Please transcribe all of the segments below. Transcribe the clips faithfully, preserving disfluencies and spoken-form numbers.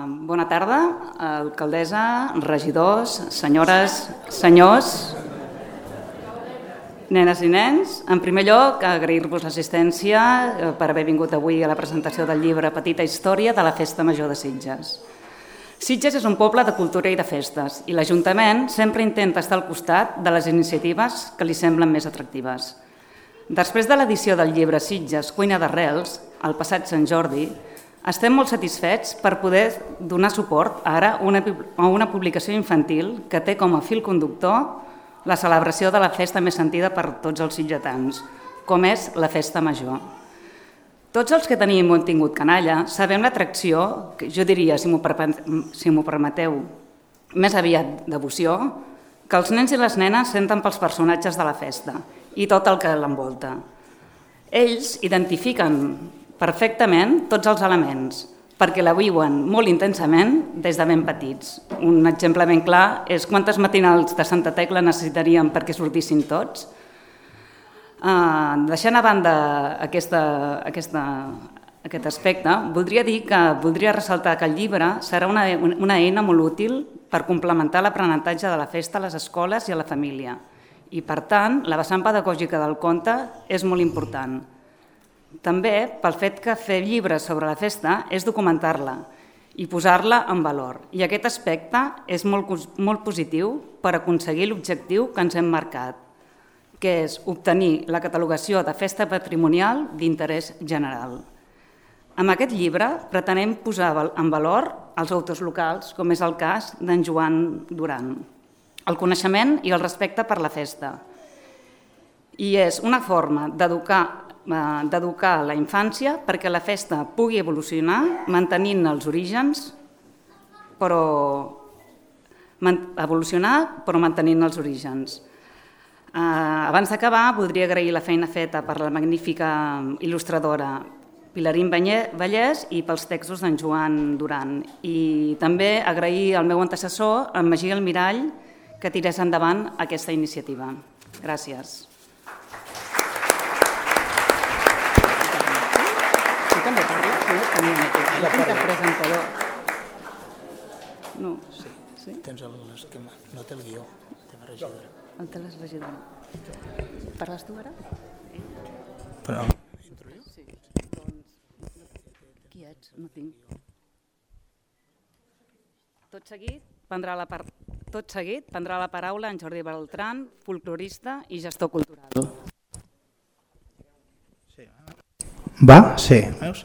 Bona tarda, alcaldessa, regidors, senyores, senyors, nenes i nens. En primer lloc, agrair-vos l'assistència per haver vingut avui a la presentació del llibre Petita història de la Festa Major de Sitges. Sitges és un poble de cultura i de festes i l'Ajuntament sempre intenta estar al costat de les iniciatives que li semblen més atractives. Després de l'edició del llibre Sitges, Cuina d'Arrels, el passat Sant Jordi, estem molt satisfets per poder donar suport ara a una publicació infantil que té com a fil conductor la celebració de la festa més sentida per tots els sitgetans, com és la Festa Major. Tots els que tenim un tingut canalla sabem l'atracció, que jo diria, si m'ho permeteu, més aviat devoció, que els nens i les nenes senten pels personatges de la festa i tot el que l'envolta. Ells identifiquen perfectament tots els elements, perquè la viuen molt intensament des de ben petits. Un exemple ben clar és quantes matinals de Santa Tecla necessitaríem perquè sortissin tots. Uh, deixant a banda aquesta, aquesta, aquest aspecte, voldria dir que voldria ressaltar que el llibre serà una, una eina molt útil per complementar l'aprenentatge de la festa a les escoles i a la família. I, per tant, la vessant pedagògica del conte és molt important. També pel fet que fer llibres sobre la festa és documentar-la i posar-la en valor. I aquest aspecte és molt, molt positiu per aconseguir l'objectiu que ens hem marcat, que és obtenir la catalogació de festa patrimonial d'interès general. Amb aquest llibre pretenem posar en valor els autors locals, com és el cas d'en Joan Duran, el coneixement i el respecte per la festa. I és una forma d'educar d'educar la infància perquè la festa pugui evolucionar mantenint els orígens, però evolucionar però mantenint els orígens. Abans d'acabar, voldria agrair la feina feta per la magnífica il·lustradora Pilarín Vallès i pels textos d'en Joan Duran. I també agrair al meu antecessor, en Magí Almirall, que tirés endavant aquesta iniciativa. Gràcies. També parla? No tinc el presentador. No. Sí, tens l'esquema. No té el guió. Té la regidora. El té la regidora. Parles tu ara? Però... Sí. Qui ets? No tinc. Tot seguit prendrà la part... Tot seguit prendrà la paraula en Jordi Beltran, folclorista i gestor cultural. Va? Sí. Veus?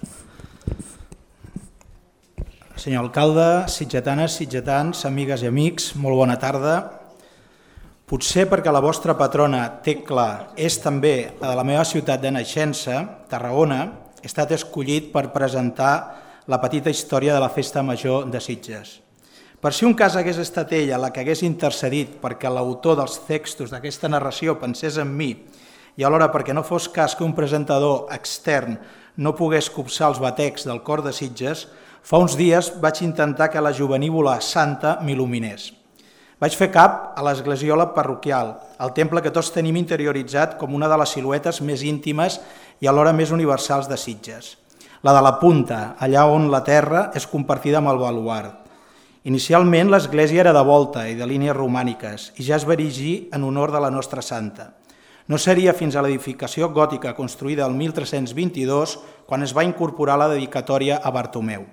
Senyor alcalde, sitgetanes, sitgetans, amigues i amics, molt bona tarda. Potser perquè la vostra patrona, Tecla, és també la de la meva ciutat de naixença, Tarragona, he estat escollit per presentar la petita història de la Festa Major de Sitges. Per si un cas hagués estat ella la que hagués intercedit perquè l'autor dels textos d'aquesta narració pensés en mi i alhora perquè no fos cas que un presentador extern no pogués copsar els batecs del cor de Sitges, fa uns dies vaig intentar que la jovenívola santa m'il·luminés. Vaig fer cap a l'esglesiola parroquial, el temple que tots tenim interioritzat com una de les siluetes més íntimes i alhora més universals de Sitges. La de la punta, allà on la terra és compartida amb el baluard. Inicialment l'església era de volta i de línies romàniques i ja es va erigir en honor de la nostra santa. No seria fins a l'edificació gòtica construïda el mil tres-cents vint-i-dos quan es va incorporar la dedicatòria a Bartomeu.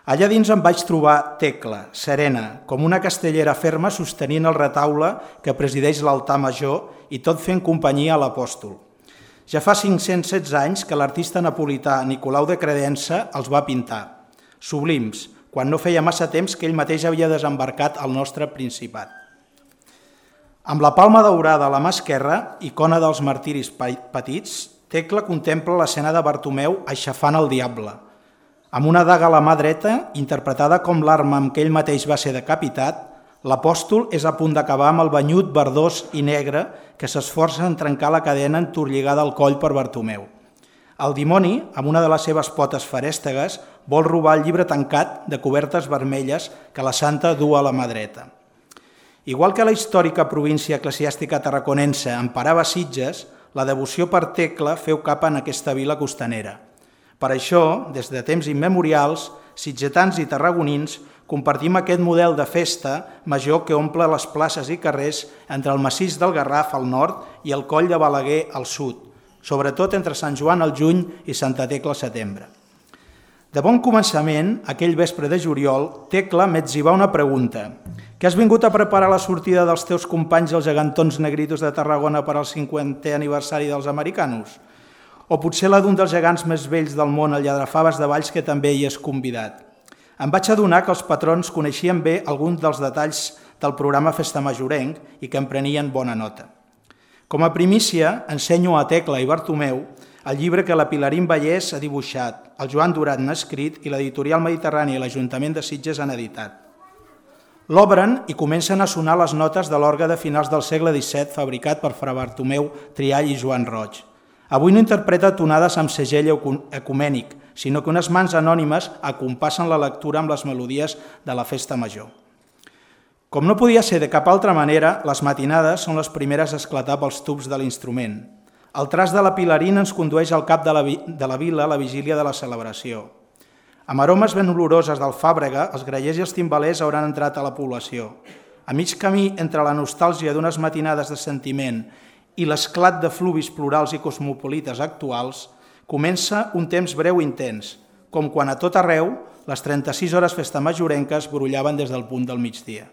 Allà dins em vaig trobar Tecla, serena, com una castellera ferma sostenint el retaule que presideix l'altar major i tot fent companyia a l'apòstol. Ja fa cinc-cents setze anys que l'artista napolità Nicolau de Credença els va pintar, sublims, quan no feia massa temps que ell mateix havia desembarcat al nostre Principat. Amb la palma daurada a la mà esquerra, icona dels martiris petits, Tecla contempla l'escena de Bartomeu aixafant el diable. Amb una daga a la mà dreta, interpretada com l'arma amb què ell mateix va ser decapitat, l'apòstol és a punt d'acabar amb el banyut verdós i negre que s'esforça en trencar la cadena entorlligada al coll per Bartomeu. El dimoni, amb una de les seves potes ferèstegues, vol robar el llibre tancat de cobertes vermelles que la santa du a la mà dreta. Igual que la històrica província eclesiàstica tarraconense emparava Sitges, la devoció per Tecla feu cap en aquesta vila costanera. Per això, des de temps immemorials, sitgetans i tarragonins, compartim aquest model de festa major que omple les places i carrers entre el massís del Garraf al nord i el coll de Balaguer al sud, sobretot entre Sant Joan al juny i Santa Tecla al setembre. De bon començament, aquell vespre de juliol, Tecla m'etzibà una pregunta. Que has vingut a preparar la sortida dels teus companys els gegantons negritos de Tarragona per al cinquantè aniversari dels americanos? O potser la d'un dels gegants més vells del món, el Lladrafaves de Valls, que també hi és convidat? Em vaig adonar que els patrons coneixien bé alguns dels detalls del programa Festa Majorenc i que en prenien bona nota. Com a primícia, ensenyo a Tecla i Bartomeu el llibre que la Pilarín Vallès ha dibuixat, el Joan Durat n'ha escrit i l'Editorial Mediterrània i l'Ajuntament de Sitges han editat. L'obren i comencen a sonar les notes de l'orgue de finals del segle disset fabricat per Fra Bartomeu Triall i Joan Roig. Avui no interpreta tonades amb segell ecumènic, sinó que unes mans anònimes acompassen la lectura amb les melodies de la festa major. Com no podia ser de cap altra manera, les matinades són les primeres a esclatar pels tubs de l'instrument. El tras de la Pilarín ens condueix al cap de la, de la vila a la vigília de la celebració. Amb aromes ben oloroses d'alfàbrega, els grallers i els timbalers hauran entrat a la població. A mig camí entre la nostàlgia d'unes matinades de sentiment i l'esclat de fluvis plurals i cosmopolites actuals, comença un temps breu i intens, com quan a tot arreu les trenta-sis hores festa majorenques brollaven des del punt del migdia.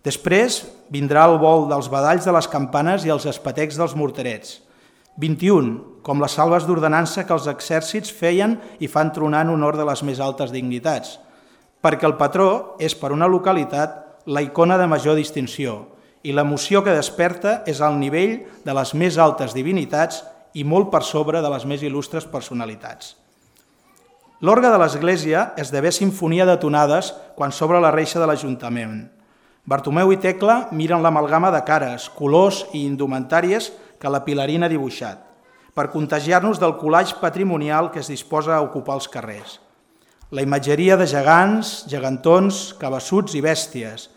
Després vindrà el vol dels badalls de les campanes i els espetecs dels morterets. vint-i-un, com les salves d'ordenança que els exèrcits feien i fan tronar en honor de les més altes dignitats, perquè el patró és per una localitat la icona de major distinció i l'emoció que desperta és al nivell de les més altes divinitats i molt per sobre de les més il·lustres personalitats. L'orgue de l'església esdevé sinfonia de tonades quan s'obre la reixa de l'Ajuntament. Bartomeu i Tecla miren l'amalgama de cares, colors i indumentàries que la Pilarín ha dibuixat, per contagiar-nos del collage patrimonial que es disposa a ocupar els carrers. La imatgeria de gegants, gegantons, cabassuts i bèsties,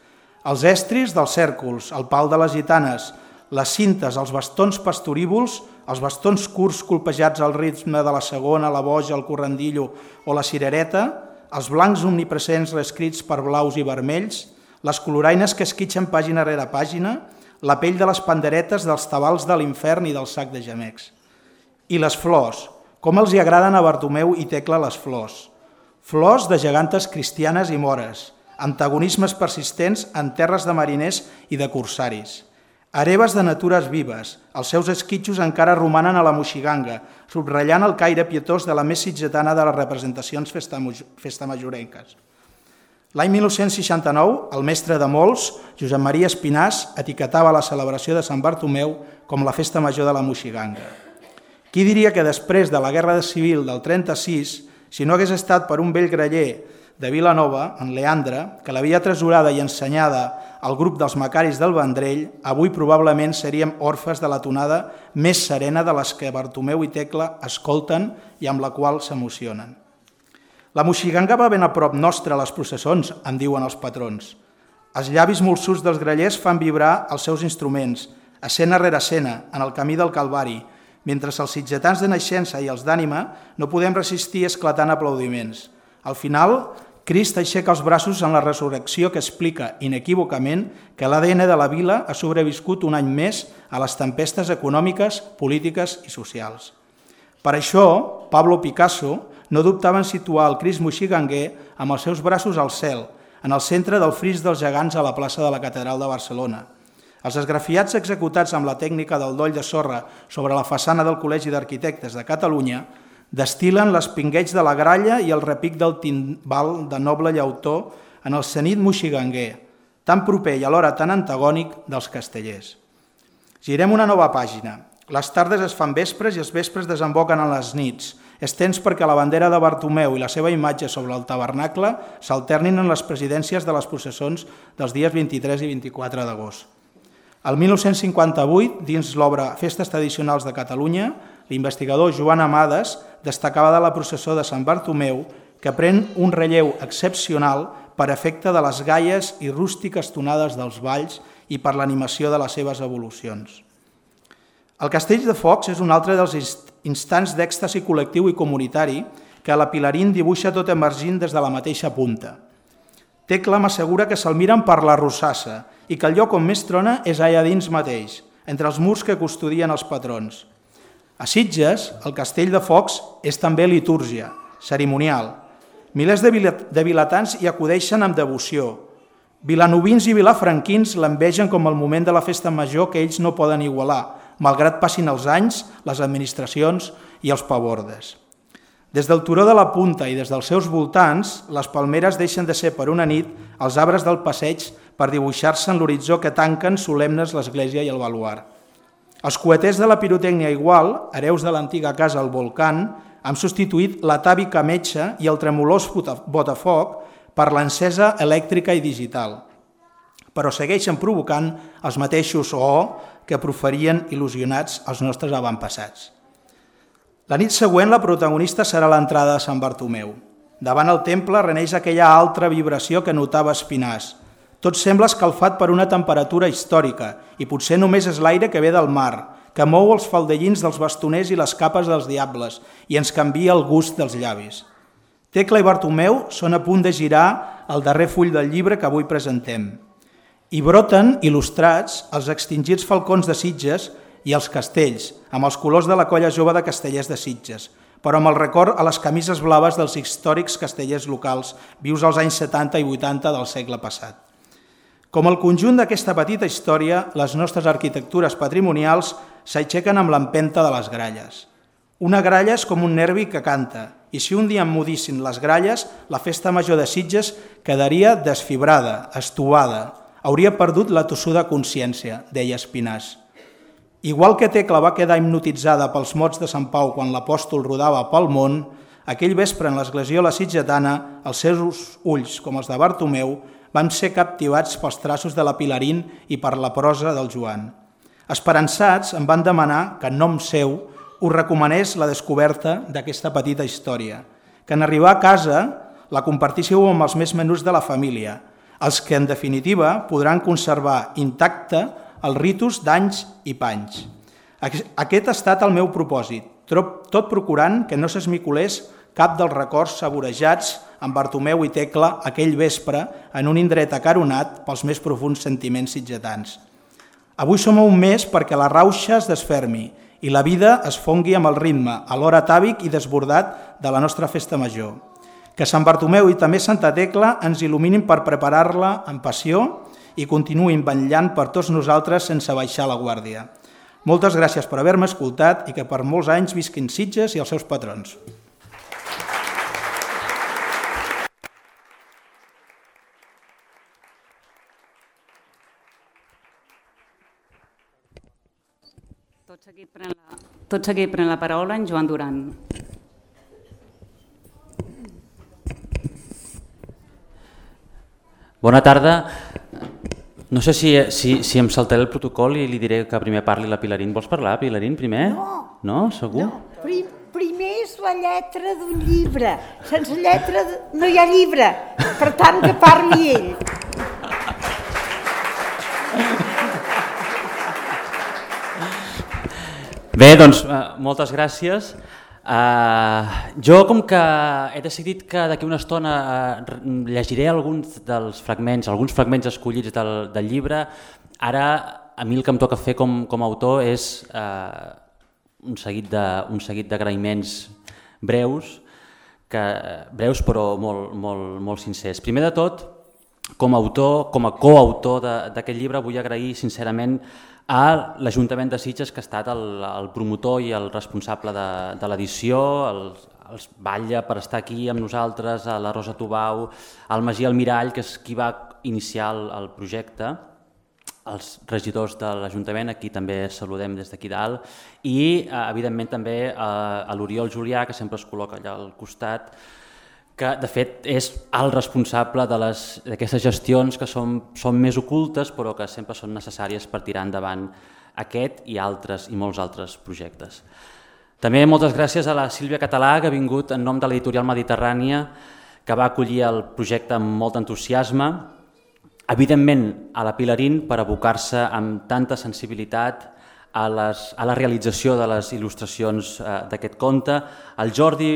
els estris dels cèrcols, el pal de les gitanes, les cintes, els bastons pastorívols, els bastons curts colpejats al ritme de la segona, la boja, el corrandillo o la cirereta, els blancs omnipresents reescrits per blaus i vermells, les coloraines que esquitxen pàgina rere pàgina, la pell de les panderetes dels tabals de l'infern i del sac de gemecs. I les flors, com els hi agraden a Bartomeu i Tecla les flors. Flors de gegantes cristianes i mores, antagonismes persistents en terres de mariners i de corsaris. Hereves de natures vives, els seus esquitxos encara romanen a la moixiganga, subratllant el caire pietós de la més sitgetana de les representacions festamajorenques. L'any mil nou-cents seixanta-nou, el mestre de molts, Josep Maria Espinàs, etiquetava la celebració de Sant Bartomeu com la festa major de la moixiganga. Qui diria que després de la Guerra Civil del trenta-sis, si no hagués estat per un vell graller de Vilanova, en Leandre, que l'havia tresorada i ensenyada al grup dels Macaris del Vendrell, avui probablement seríem orfes de la tonada més serena de les que Bartomeu i Tecla escolten i amb la qual s'emocionen. La moixiganga va ben a prop nostre a les processons, em diuen els patrons. Els llavis molsuts dels grallers fan vibrar els seus instruments, escena rere escena, en el camí del Calvari, mentre els sitgetans de naixença i els d'ànima no podem resistir esclatant aplaudiments. Al final, Crist aixeca els braços en la resurrecció que explica inequívocament que l'A D N de la vila ha sobreviscut un any més a les tempestes econòmiques, polítiques i socials. Per això, Pablo Picasso no dubtava en situar el Crist moixiganguer amb els seus braços al cel, en el centre del fris dels gegants a la plaça de la Catedral de Barcelona. Els esgrafiats executats amb la tècnica del doll de sorra sobre la façana del Col·legi d'Arquitectes de Catalunya destil·len l'espingueig de la gralla i el repic del timbal de noble llautó en el cenit moixiganguer, tan proper i alhora tan antagònic dels castellers. Girem una nova pàgina. Les tardes es fan vespres i els vespres desemboquen en les nits. És temps perquè la bandera de Bartomeu i la seva imatge sobre el tabernacle s'alternin en les presidències de les processons dels dies vint-i-tres i vint-i-quatre d'agost. El mil nou-cents cinquanta-vuit, dins l'obra Festes Tradicionals de Catalunya, l'investigador Joan Amades destacava de la processó de Sant Bartomeu que pren un relleu excepcional per efecte de les gaies i rústiques tonades dels balls i per l'animació de les seves evolucions. El Castell de Focs és un altre dels instants d'èxtasi col·lectiu i comunitari que la Pilarín dibuixa tot emergint des de la mateixa punta. Tecla m'assegura que se'l miren per la rosassa i que el lloc on més trona és allà dins mateix, entre els murs que custodien els patrons. A Sitges, el castell de Focs és també litúrgia, cerimonial. Milers de vilatans hi acudeixen amb devoció. Vilanovins i vilafranquins l'envegen com el moment de la festa major que ells no poden igualar, malgrat passin els anys, les administracions i els pavordes. Des del turó de la Punta i des dels seus voltants, les palmeres deixen de ser per una nit els arbres del passeig per dibuixar-se en l'horitzó que tanquen solemnes l'església i el baluart. Els coeters de la pirotècnia igual, hereus de l'antiga casa al Volcán, han substituït l'atàvica metxa i el tremolós botafoc per l'encesa elèctrica i digital, però segueixen provocant els mateixos oh que proferien il·lusionats els nostres avantpassats. La nit següent la protagonista serà l'entrada de Sant Bartomeu. Davant el temple reneix aquella altra vibració que notava Espinàs. Tot sembla escalfat per una temperatura històrica i potser només és l'aire que ve del mar, que mou els faldellins dels bastoners i les capes dels diables i ens canvia el gust dels llavis. Tecla i Bartomeu són a punt de girar el darrer full del llibre que avui presentem. Hi broten, il·lustrats, els extingits falcons de Sitges i els castells, amb els colors de la colla jove de castellers de Sitges, però amb el record a les camises blaves dels històrics castellers locals vius als anys setanta i vuitanta del segle passat. Com el conjunt d'aquesta petita història, les nostres arquitectures patrimonials s'aixequen amb l'empenta de les gralles. Una gralla és com un nervi que canta, i si un dia emmudissin les gralles, la festa major de Sitges quedaria desfibrada, estovada, hauria perdut la tossuda consciència, deia Espinàs. Igual que Tecla va quedar hipnotitzada pels mots de Sant Pau quan l'apòstol rodava pel món, aquell vespre en l'esglesiola sitgetana, els seus ulls, com els de Bartomeu, van ser captivats pels traços de la Pilarín i per la prosa del Joan. Esperançats, em van demanar que en nom seu us recomanés la descoberta d'aquesta petita història, que en arribar a casa la compartíssiu amb els més menuts de la família, els que en definitiva podran conservar intacte els ritus d'anys i panys. Aquest ha estat el meu propòsit, tot procurant que no s'esmicolés cap dels records saborejats amb Bartomeu i Tecla aquell vespre en un indret acaronat pels més profuns sentiments sitgetans. Avui som a un mes perquè la rauxa es desfermi i la vida es fongui amb el ritme, alhora atàvic i desbordat de la nostra festa major. Que Sant Bartomeu i també Santa Tecla ens il·luminin per preparar-la amb passió i continuïn vetllant per tots nosaltres sense baixar la guàrdia. Moltes gràcies per haver-me escoltat i que per molts anys visquin Sitges i els seus patrons. Tot seguit pren la, tot seguit pren la paraula en Joan Duran. Bona tarda. No sé si, si, si em saltaré el protocol i li diré que primer parli la Pilarín. Vols parlar, Pilarín, primer? No. No? Segur? No. Prim, primer és la lletra d'un llibre. Sense lletra no hi ha llibre. Per tant, que parli ell. Bé, doncs, moltes gràcies. Uh, jo, com que he decidit que d'aquí una estona uh, llegiré alguns dels fragments, alguns fragments escollits del, del llibre, ara a mi el que em toca fer com, com a autor és uh, un seguit de, un seguit d'agraïments breus, que, breus però molt, molt, molt sincers. Primer de tot, com a autor, com a coautor d'aquest llibre, vull agrair sincerament a l'Ajuntament de Sitges, que ha estat el, el promotor i el responsable de, de l'edició, els, els Batlle per estar aquí amb nosaltres, a la Rosa Tubau, al Magí Almirall, que és qui va iniciar el, el projecte, els regidors de l'Ajuntament, aquí també saludem des d'aquí dalt, i evidentment també a, a l'Oriol Julià, que sempre es col·loca allà al costat, que de fet és el responsable d'aquestes gestions que són, són més ocultes però que sempre són necessàries per tirar endavant aquest i altres i molts altres projectes. També moltes gràcies a la Sílvia Català, que ha vingut en nom de l'editorial Mediterrània, que va acollir el projecte amb molt entusiasme, evidentment a la Pilarín per abocar-se amb tanta sensibilitat a, les, a la realització de les il·lustracions eh, d'aquest conte, el Jordi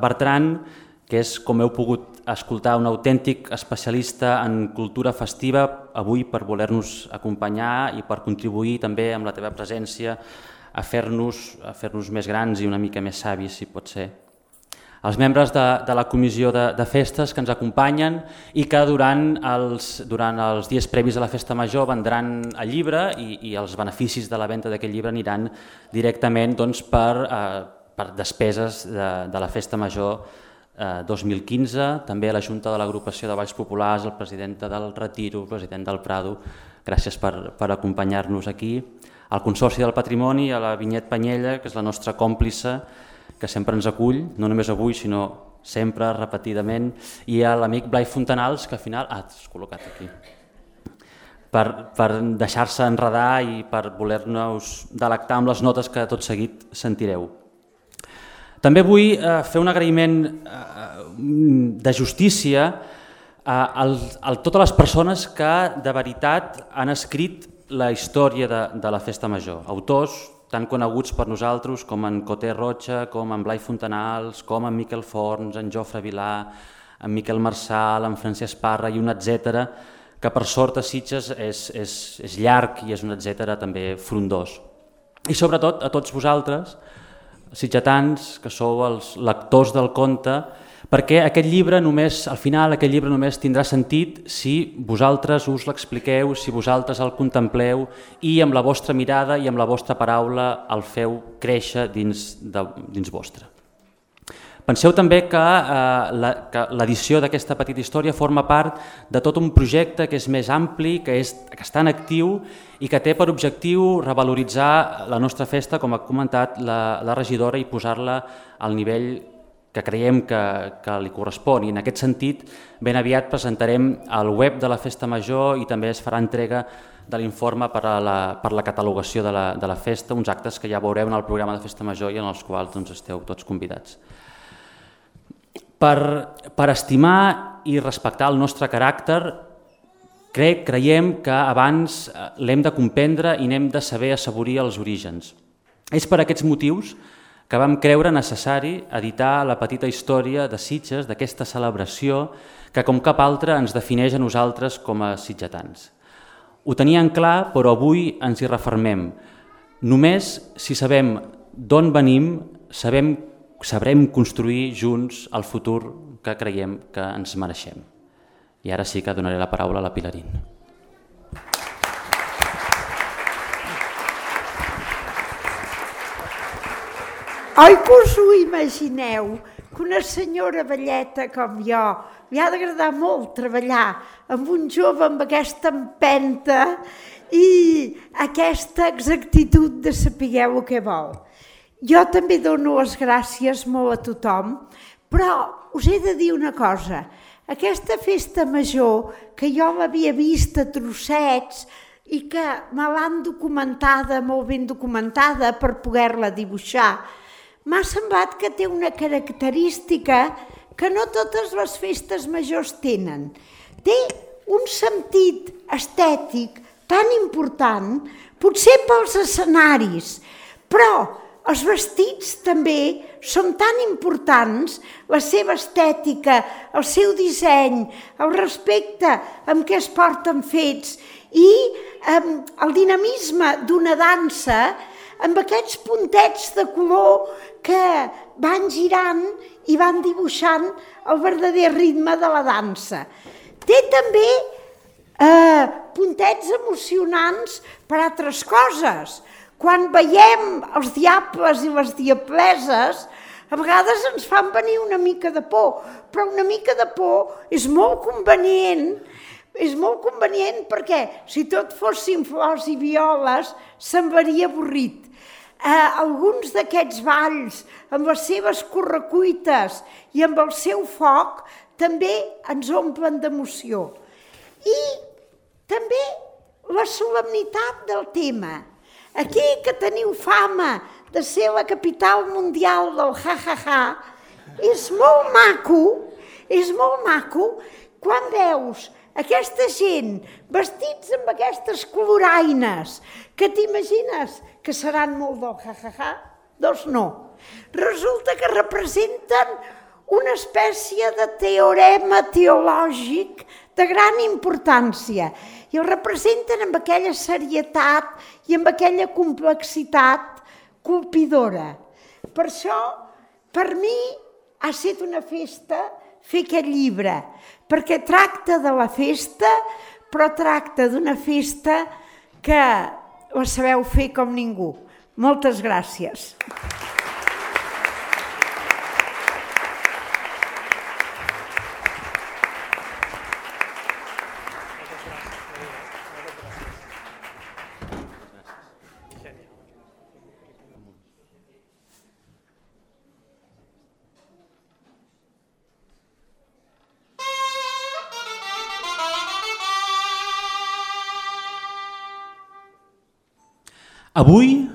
Bertran, que és, com heu pogut escoltar, un autèntic especialista en cultura festiva, avui per voler-nos acompanyar i per contribuir també amb la teva presència a fer-nos a fer-nos més grans i una mica més savis, si pot ser. Els membres de, de la comissió de, de festes que ens acompanyen i que durant els, durant els dies previs a la festa major vendran el llibre i, i els beneficis de la venda d'aquest llibre aniran directament doncs, per, eh, per despeses de, de la festa major eh, dos mil quinze, també a la Junta de l'Agrupació de Balls Populars, el president del Retiro, el president del Prado, gràcies per, per acompanyar-nos aquí, al Consorci del Patrimoni, a la Vinyet Panyella, que és la nostra còmplice, que sempre ens acull, no només avui, sinó sempre, repetidament, i a l'amic Blai Fontanals, que al final... Ah, t'has col·locat aquí. Per, per deixar-se enredar i per voler-nos delectar amb les notes que tot seguit sentireu. També vull eh, fer un agraïment eh, de justícia a, a, a totes les persones que de veritat han escrit la història de, de la festa major, autors tan coneguts per nosaltres com en Coté Rocha, com en Blai Fontanals, com en Miquel Forns, en Jofre Vilà, en Miquel Marçal, en Francesc Parra i un etcètera, que per sort a Sitges és, és, és llarg i és un etcètera també frondós. I sobretot a tots vosaltres, sitgetans, que sou els lectors del conte, perquè aquest llibre només, al final aquest llibre només tindrà sentit si vosaltres us l'expliqueu, si vosaltres el contempleu i amb la vostra mirada i amb la vostra paraula el feu créixer dins, de, dins vostre. Penseu també que eh, l'edició d'aquesta petita història forma part de tot un projecte que és més ampli, que, és, que està en actiu i que té per objectiu revaloritzar la nostra festa, com ha comentat la, la regidora, i posar-la al nivell que creiem que, que li correspon. I en aquest sentit, ben aviat presentarem al web de la Festa Major i també es farà entrega de l'informe per a la, per la catalogació de la, de la festa, uns actes que ja veureu en el programa de Festa Major i en els quals doncs, esteu tots convidats. Per, per estimar i respectar el nostre caràcter, crec, creiem que abans l'hem de comprendre i n'hem de saber assaborir els orígens. És per aquests motius que vam creure necessari editar la petita història de Sitges, d'aquesta celebració que com cap altra ens defineix a nosaltres com a sitgetans. Ho teníem clar, però avui ens hi refermem. Només si sabem d'on venim, sabem, sabrem construir junts el futur que creiem que ens mereixem. I ara sí que donaré la paraula a la Pilarín. Oi que us ho imagineu, que una senyora velleta com jo li ha d'agradar molt treballar amb un jove amb aquesta empenta i aquesta exactitud de saber el que vol. Jo també dono les gràcies molt a tothom, però us he de dir una cosa. Aquesta festa major, que jo l'havia vist a trossets i que me l'han documentada, molt ben documentada per poder-la dibuixar, m'ha semblat que té una característica que no totes les festes majors tenen. Té un sentit estètic tan important, potser pels escenaris, però els vestits també són tan importants, la seva estètica, el seu disseny, el respecte amb què es porten fets i eh, el dinamisme d'una dansa amb aquests puntets de color que van girant i van dibuixant el verdader ritme de la dansa. Té també eh, puntets emocionants per altres coses. Quan veiem els diables i les diableses, a vegades ens fan venir una mica de por, però una mica de por és molt convenient, és molt convenient perquè si tot fossin flors i violes semblaria avorrit. Eh, alguns d'aquests balls, amb les seves correcuites i amb el seu foc, també ens omplen d'emoció. I també la solemnitat del tema. Aquí que teniu fama de ser la capital mundial del ha-ha-ha, és molt maco, és molt maco quan veus aquesta gent vestits amb aquestes coloraines, que t'imagines que seran molt del ha-ha-ha? Doncs no. Resulta que representen una espècie de teorema teològic de gran importància i el representen amb aquella serietat i amb aquella complexitat colpidora. Per això, per mi, ha estat una festa fer aquest llibre, perquè tracta de la festa, però tracta d'una festa que la sabeu fer com ningú. Moltes gràcies. Avui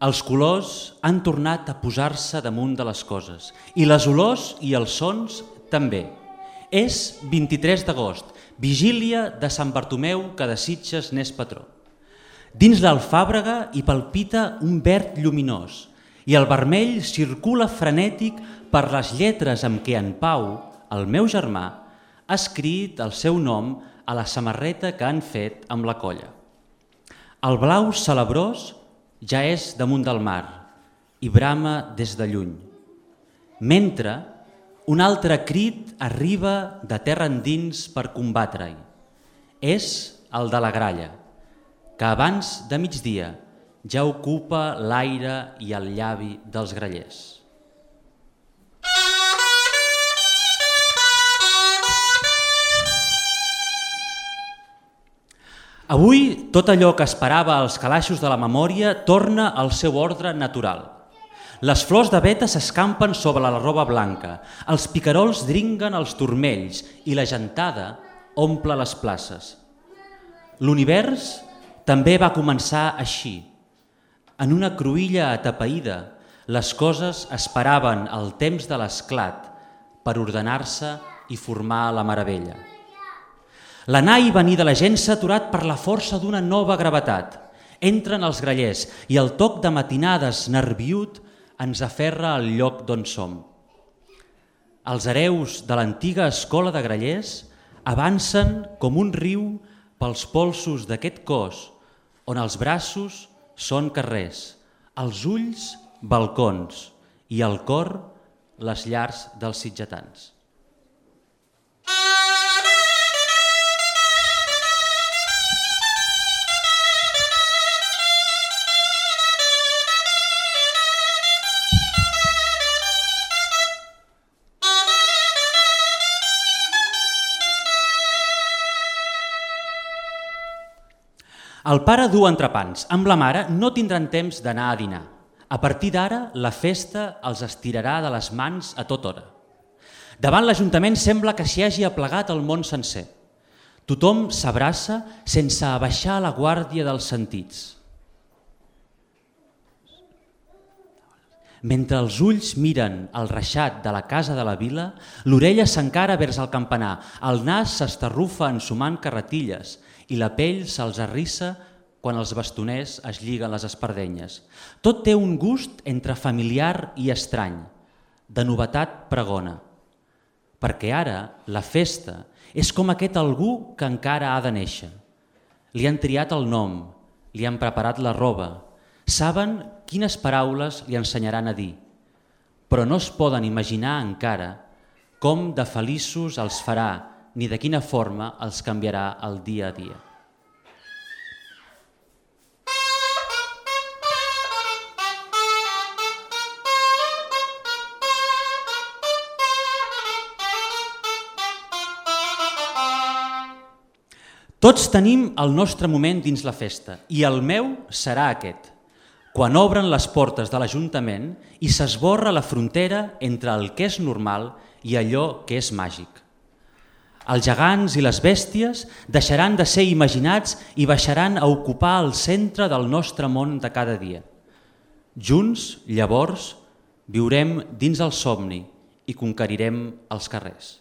els colors han tornat a posar-se damunt de les coses i les olors i els sons també. És vint-i-tres d'agost, vigília de Sant Bartomeu que de Sitges n'és patró. Dins l'alfàbrega hi palpita un verd lluminós i el vermell circula frenètic per les lletres amb què en Pau, el meu germà, ha escrit el seu nom a la samarreta que han fet amb la colla. El blau celebrós ja és damunt del mar i brama des de lluny. Mentre un altre crit arriba de terra endins per combatre-hi. És el de la gralla, que abans de migdia ja ocupa l'aire i el llavi dels grallers. Avui, tot allò que esperava als calaixos de la memòria torna al seu ordre natural. Les flors de veta s'escampen sobre la roba blanca, els picarols dringuen els turmells i la gentada omple les places. L'univers també va començar així. En una cruïlla atapeïda, les coses esperaven el temps de l'esclat per ordenar-se i formar la meravella. L'anar i venir de la gent s'ha aturat per la força d'una nova gravetat. Entren els grallers i el toc de matinades nerviut ens aferra al lloc d'on som. Els hereus de l'antiga escola de grallers avancen com un riu pels polsos d'aquest cos on els braços són carrers, els ulls balcons i el cor les llars dels sitgetans. El pare du entrepans, amb la mare no tindran temps d'anar a dinar. A partir d'ara, la festa els estirarà de les mans a tota hora. Davant l'Ajuntament sembla que s'hi hagi aplegat el món sencer. Tothom s'abraça sense abaixar la guàrdia dels sentits. Mentre els ulls miren el reixat de la casa de la vila, l'orella s'encara vers el campanar, el nas s'estarrufa ensumant carretilles i la pell se'ls arrissa quan els bastoners es lliguen les espardenyes. Tot té un gust entre familiar i estrany, de novetat pregona. Perquè ara la festa és com aquest algú que encara ha de néixer. Li han triat el nom, li han preparat la roba, saben quines paraules li ensenyaran a dir, però no es poden imaginar encara com de feliços els farà ni de quina forma els canviarà el dia a dia. Tots tenim el nostre moment dins la festa i el meu serà aquest, quan obren les portes de l'Ajuntament i s'esborra la frontera entre el que és normal i allò que és màgic. Els gegants i les bèsties deixaran de ser imaginats i baixaran a ocupar el centre del nostre món de cada dia. Junts, llavors, viurem dins el somni i conquerirem els carrers.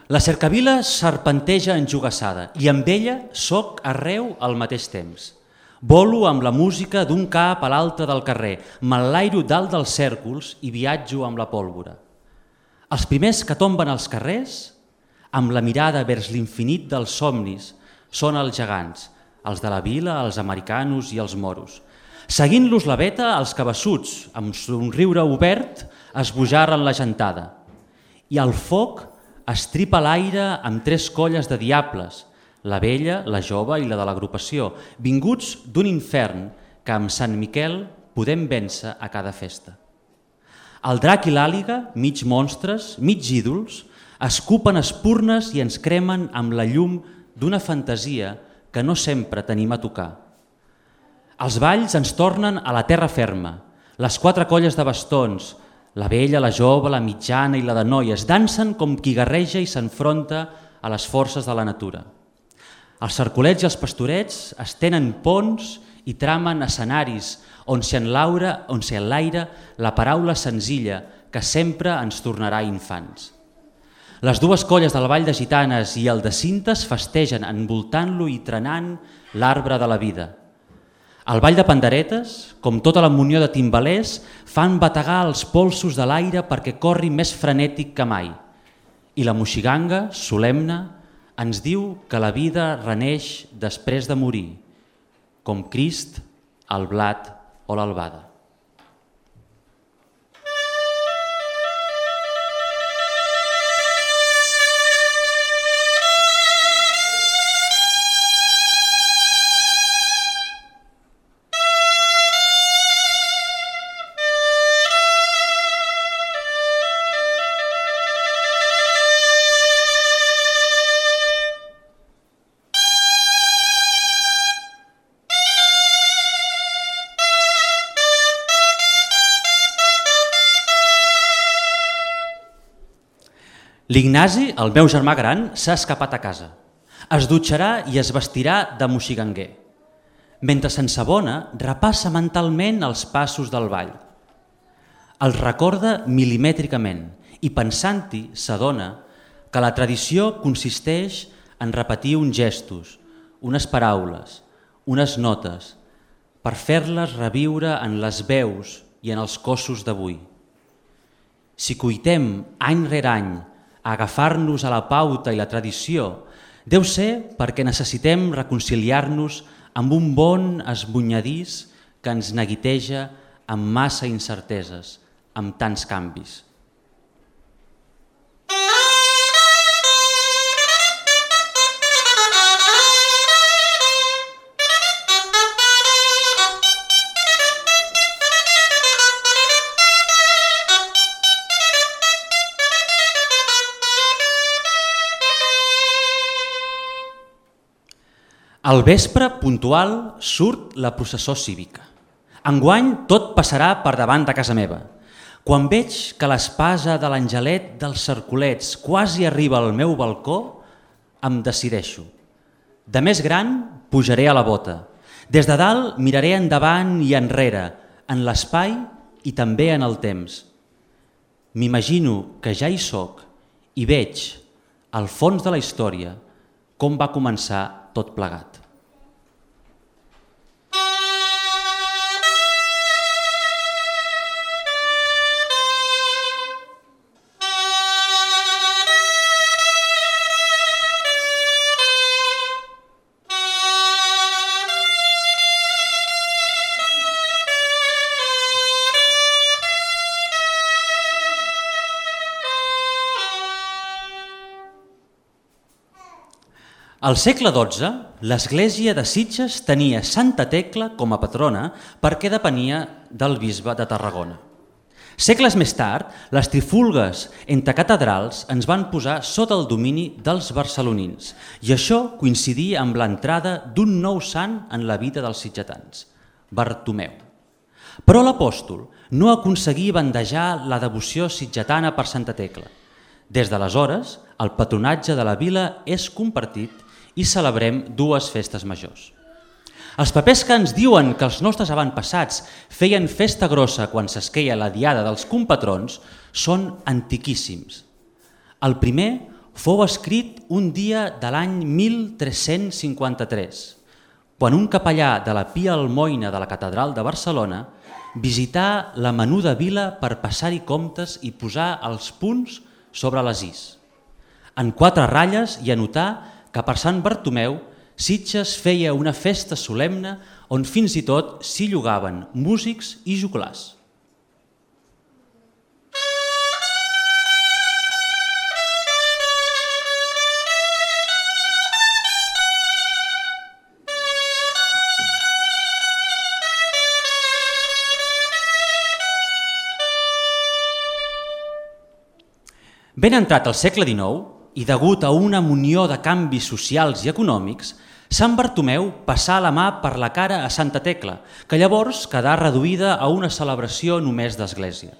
La cercavila serpenteja enjogassada i amb ella soc arreu al mateix temps. Volo amb la música d'un cap a l'altre del carrer, m'enlairo dalt dels cèrcols i viatjo amb la pólvora. Els primers que tomben als carrers, amb la mirada vers l'infinit dels somnis, són els gegants, els de la vila, els americanos i els moros. Seguint-los la veta, els cabassuts, amb somriure obert, esbojarren la gentada. I el foc estripa l'aire amb tres colles de diables, la vella, la jove i la de l'agrupació, vinguts d'un infern que amb Sant Miquel podem vèncer a cada festa. El drac i l'àliga, mig monstres, mig ídols, escupen espurnes i ens cremen amb la llum d'una fantasia que no sempre tenim a tocar. Els balls ens tornen a la terra ferma, les quatre colles de bastons, la vella, la jove, la mitjana i la de noies, dansen com qui guerreja i s'enfronta a les forces de la natura. Els cercolets i els pastorets estenen ponts i tramen escenaris on s'hi enlaira, on s'hi enlaira la paraula senzilla que sempre ens tornarà infants. Les dues colles del Ball de Gitanes i el de Cintes festegen envoltant-lo i trenant l'arbre de la vida. El Ball de Panderetes, com tota la munió de timbalers, fan bategar els polsos de l'aire perquè corri més frenètic que mai. I la moixiganga, solemne, ens diu que la vida reneix després de morir, com Crist, el blat o l'albada. L'Ignasi, el meu germà gran, s'ha escapat a casa. Es dutxarà i es vestirà de moxiganguer. Mentre s'ensabona, repassa mentalment els passos del ball. Els recorda milimètricament i pensant-hi s'adona que la tradició consisteix en repetir uns gestos, unes paraules, unes notes, per fer-les reviure en les veus i en els cossos d'avui. Si cuitem any rere any a agafar-nos a la pauta i la tradició, deu ser perquè necessitem reconciliar-nos amb un bon esbunyadís que ens neguiteja amb massa incerteses, amb tants canvis. Al vespre, puntual, surt la processó cívica. Enguany tot passarà per davant de casa meva. Quan veig que l'espasa de l'angelet dels cercolets quasi arriba al meu balcó, em decideixo. De més gran, pujaré a la bota. Des de dalt miraré endavant i enrere, en l'espai i també en el temps. M'imagino que ja hi soc i veig, al fons de la història, com va començar tot plegat. Al segle dotze, l'església de Sitges tenia Santa Tecla com a patrona perquè depenia del bisbe de Tarragona. Segles més tard, les trifulgues entre catedrals ens van posar sota el domini dels barcelonins i això coincidia amb l'entrada d'un nou sant en la vida dels sitgetans, Bartomeu. Però l'apòstol no aconseguí bandejar la devoció sitgetana per Santa Tecla. Des d'aleshores, el patronatge de la vila és compartit i celebrem dues festes majors. Els papers que ens diuen que els nostres avantpassats feien festa grossa quan s'esqueia la diada dels compatrons són antiquíssims. El primer fou escrit un dia de l'any mil tres-cents cinquanta-tres, quan un capellà de la Pia Almoina de la Catedral de Barcelona visità la menuda vila per passar-hi comptes i posar els punts sobre les is. En quatre ratlles hi anotà que per Sant Bartomeu Sitges feia una festa solemne on fins i tot s'hi llogaven músics i joglars. Ben entrat al segle dinou, i degut a una munió de canvis socials i econòmics, Sant Bartomeu passà la mà per la cara a Santa Tecla, que llavors quedà reduïda a una celebració només d'església.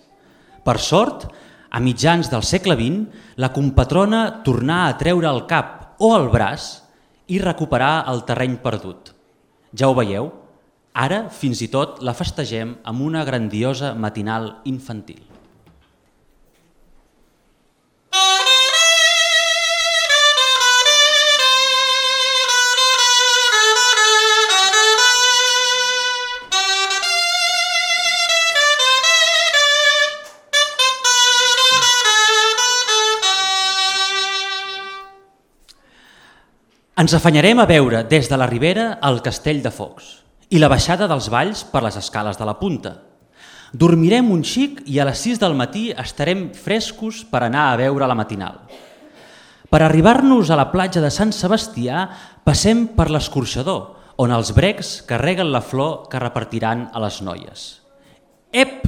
Per sort, a mitjans del segle vint, la compatrona tornà a treure el cap o el braç i recuperar el terreny perdut. Ja ho veieu, ara fins i tot la festegem amb una grandiosa matinal infantil. Ens afanyarem a veure des de la Ribera el Castell de Focs i la baixada dels Valls per les escales de la Punta. Dormirem un xic i a les sis del matí estarem frescos per anar a veure la matinal. Per arribar-nos a la platja de Sant Sebastià passem per l'escorxador, on els brecs carreguen la flor que repartiran a les noies. Ep!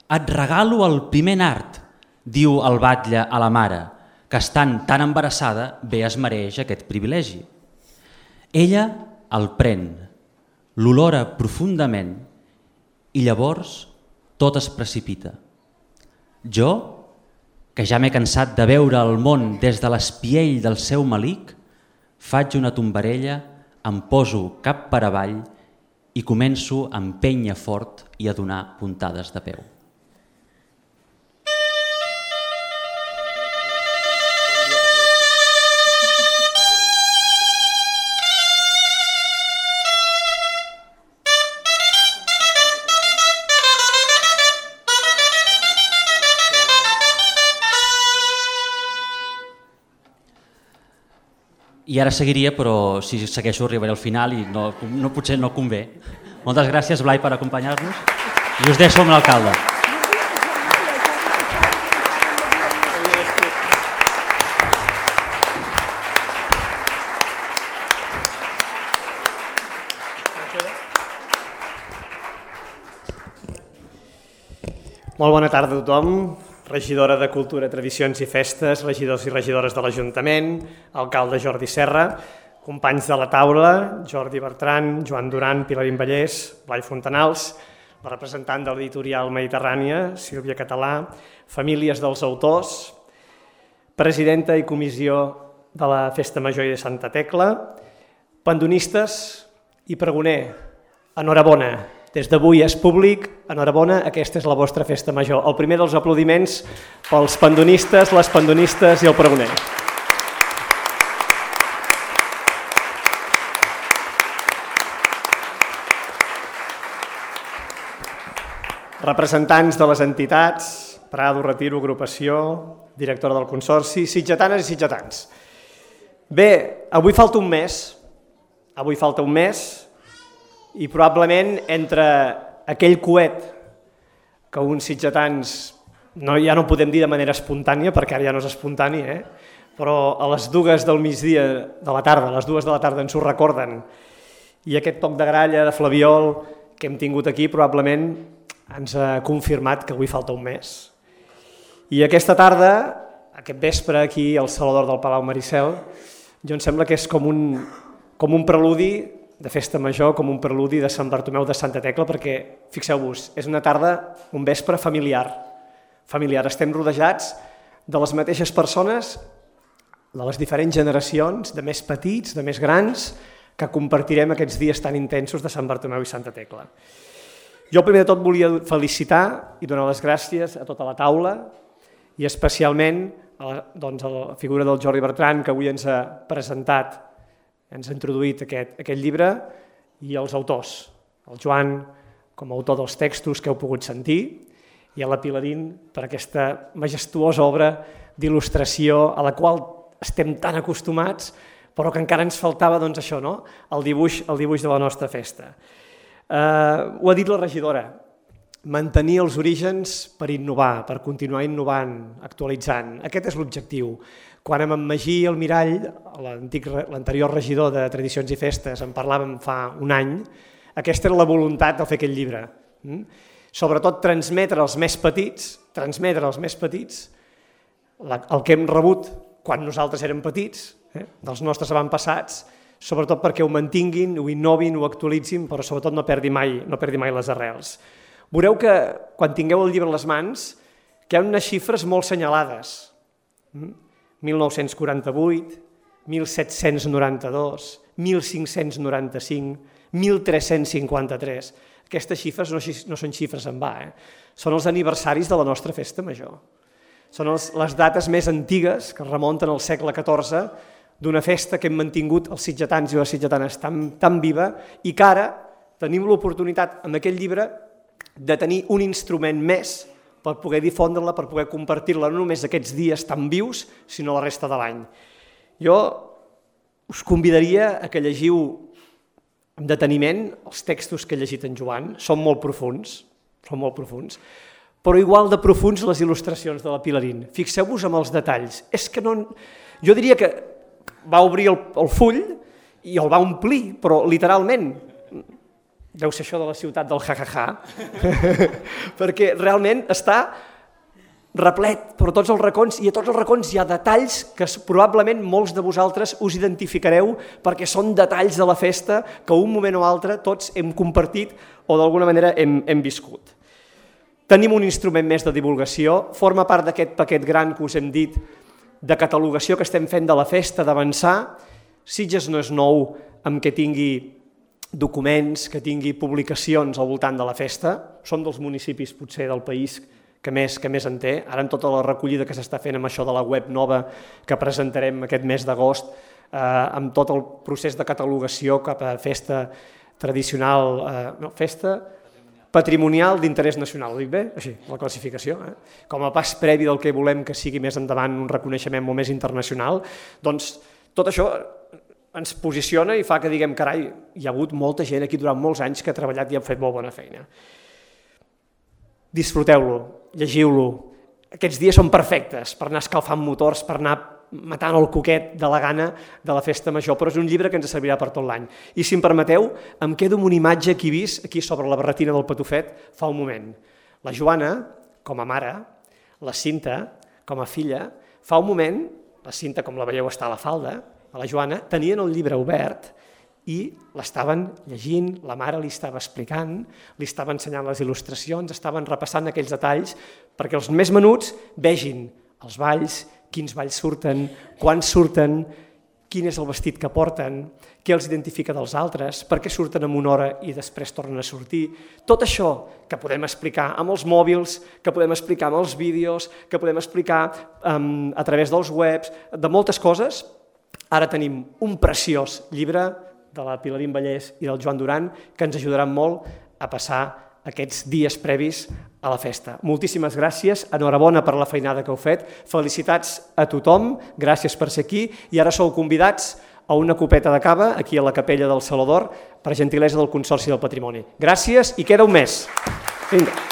Et regalo el primer nard, diu el batlle a la mare, que estant tan embarassada bé es mereix aquest privilegi. Ella el pren, l'olora profundament i llavors tot es precipita. Jo, que ja m'he cansat de veure el món des de l'espiell del seu malic, faig una tombarella, em poso cap per avall i començo a empènyer fort i a donar puntades de peu. I ara seguiria, però si segueixo arribaré al final i no, no, potser no convé. Moltes gràcies, Blai, per acompanyar-nos i us deixo amb l'alcalde. Molt bona tarda a tothom. Regidora de Cultura, Tradicions i Festes, regidors i regidores de l'Ajuntament, alcalde Jordi Serra, companys de la taula, Jordi Bertran, Joan Duran, Pilarín Vallès, Blai Fontanals, la representant de l'editorial Mediterrània, Sílvia Català, famílies dels autors, presidenta i comissió de la Festa Major de Santa Tecla, pandonistes i pregoner, enhorabona. Des d'avui és públic, enhorabona, aquesta és la vostra festa major. El primer dels aplaudiments pels pandonistes, les pandonistes i el pregoner. Representants de les entitats, Prado, Retiro, Agrupació, directora del Consorci, sitgetanes i sitgetans. Bé, avui falta un mes, avui falta un mes, i probablement entre aquell coet que uns sitgetans no, ja no podem dir de manera espontània, perquè ara ja no és espontani, eh? Però a les dues del migdia de la tarda, a les dues de la tarda ens ho recorden, i aquest toc de gralla, de flabiol que hem tingut aquí probablement ens ha confirmat que avui falta un mes. I aquesta tarda, aquest vespre aquí al Salador del Palau Maricel, jo em sembla que és com un, com un preludi de festa major, com un preludi de Sant Bartomeu de Santa Tecla, perquè, fixeu-vos, és una tarda, un vespre familiar. Familiar. Estem rodejats de les mateixes persones, de les diferents generacions, de més petits, de més grans, que compartirem aquests dies tan intensos de Sant Bartomeu i Santa Tecla. Jo primer de tot volia felicitar i donar les gràcies a tota la taula i especialment a la, doncs, a la figura del Jordi Bertran, que avui ens ha presentat, ens ha introduït aquest, aquest llibre, i els autors, el Joan com a autor dels textos que heu pogut sentir, i a la Pilarín per aquesta majestuosa obra d'il·lustració a la qual estem tan acostumats, però que encara ens faltava doncs, això, no? el, dibuix, el dibuix de la nostra festa. Eh, ho ha dit la regidora, mantenir els orígens per innovar, per continuar innovant, actualitzant. Aquest és l'objectiu. Quan amb en Magí Almirall, l'anterior regidor de Tradicions i Festes, en parlàvem fa un any, aquesta era la voluntat de fer aquest llibre. Sobretot transmetre als més petits, transmetre als més petits el que hem rebut quan nosaltres érem petits, eh, dels nostres avantpassats, sobretot perquè ho mantinguin, ho innovin, ho actualitzin, però sobretot no perdi mai, no perdi mai les arrels. Veureu que quan tingueu el llibre a les mans, que hi ha unes xifres molt senyalades. mil nou-cents quaranta-vuit, mil set-cents noranta-dos, mil cinc-cents noranta-cinc, mil tres-cents cinquanta-tres. Aquestes xifres no, no són xifres en va, eh? Són els aniversaris de la nostra festa major. Són els, les dates més antigues que remunten al segle catorze d'una festa que hem mantingut els sitgetans i les sitgetanes tan, tan viva i que ara tenim l'oportunitat amb aquest llibre de tenir un instrument més per poder difondre-la, per poder compartir-la no només aquests dies tan vius, sinó la resta de l'any. Jo us convidaria a que llegiu amb deteniment els textos que he llegit en Joan, són molt profuns, són molt profuns, però igual de profuns les il·lustracions de la Pilarín. Fixeu-vos en els detalls. És que no... Jo diria que va obrir el, el full i el va omplir, però literalment, deu ser això de la ciutat del ja-ja-ja, perquè realment està replet per tots els racons i a tots els racons hi ha detalls que probablement molts de vosaltres us identificareu perquè són detalls de la festa que un moment o altre tots hem compartit o d'alguna manera hem, hem viscut. Tenim un instrument més de divulgació, forma part d'aquest paquet gran que us hem dit de catalogació que estem fent de la festa, d'avançar. Sitges no és nou amb que tingui documents, que tingui publicacions al voltant de la festa, som dels municipis potser del país que més, que més en té. Ara amb tota la recollida que s'està fent amb això de la web nova que presentarem aquest mes d'agost, eh, amb tot el procés de catalogació cap a festa tradicional, eh, no, festa patrimonial d'interès nacional, ho dic bé? Així, la classificació. Eh? Com a pas previ del que volem que sigui més endavant un reconeixement molt més internacional, doncs tot això ens posiciona i fa que diguem, carai, hi ha hagut molta gent aquí durant molts anys que ha treballat i ha fet molt bona feina. Disfruteu-lo, llegiu-lo. Aquests dies són perfectes per anar escalfant motors, per anar matant el coquet de la gana de la festa major, però és un llibre que ens servirà per tot l'any. I si em permeteu, em quedo amb una imatge que he vist aquí sobre la barretina del Patufet fa un moment. La Joana, com a mare, la Cinta, com a filla, fa un moment, la Cinta, com la veieu, està a la falda, a la Joana, tenien el llibre obert i l'estaven llegint, la mare li estava explicant, li estava ensenyant les il·lustracions, estaven repassant aquells detalls perquè els més menuts vegin els balls, quins balls surten, quan surten, quin és el vestit que porten, què els identifica dels altres, per què surten en una hora i després tornen a sortir. Tot això que podem explicar amb els mòbils, que podem explicar amb els vídeos, que podem explicar um, a través dels webs, de moltes coses. Ara tenim un preciós llibre de la Pilarín Vallès i del Joan Duran que ens ajudaran molt a passar aquests dies previs a la festa. Moltíssimes gràcies, enhorabona per la feinada que heu fet, felicitats a tothom, gràcies per ser aquí i ara sou convidats a una copeta de cava aquí a la capella del Saló d'Or per gentilesa del Consorci del Patrimoni. Gràcies i queda un mes. Vinga.